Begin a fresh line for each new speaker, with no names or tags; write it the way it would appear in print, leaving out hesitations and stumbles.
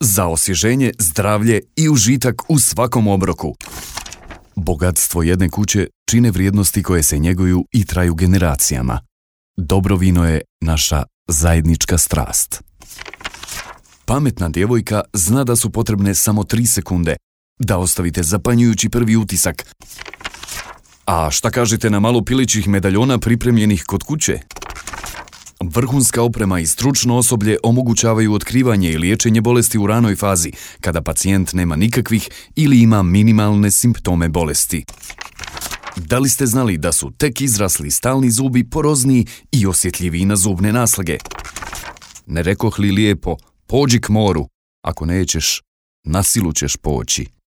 za osvježenje, zdravlje i užitak u svakom obroku. Bogatstvo jedne kuće čine vrijednosti koje se njeguju i traju generacijama. Dobro vino je naša zajednička strast. Pametna djevojka zna da su potrebne samo 3 sekunde da ostavite zapanjujući prvi utisak. A šta kažete na malo pilićih medaljona pripremljenih kod kuće? Vrhunska oprema i stručno osoblje omogućavaju otkrivanje i liječenje bolesti u ranoj fazi, kada pacijent nema nikakvih ili ima minimalne simptome bolesti. Da li ste znali da su tek izrasli stalni zubi porozniji i osjetljiviji na zubne naslage? Ne rekoh li lijepo, pođi k moru, ako nećeš, na silu ćeš poći.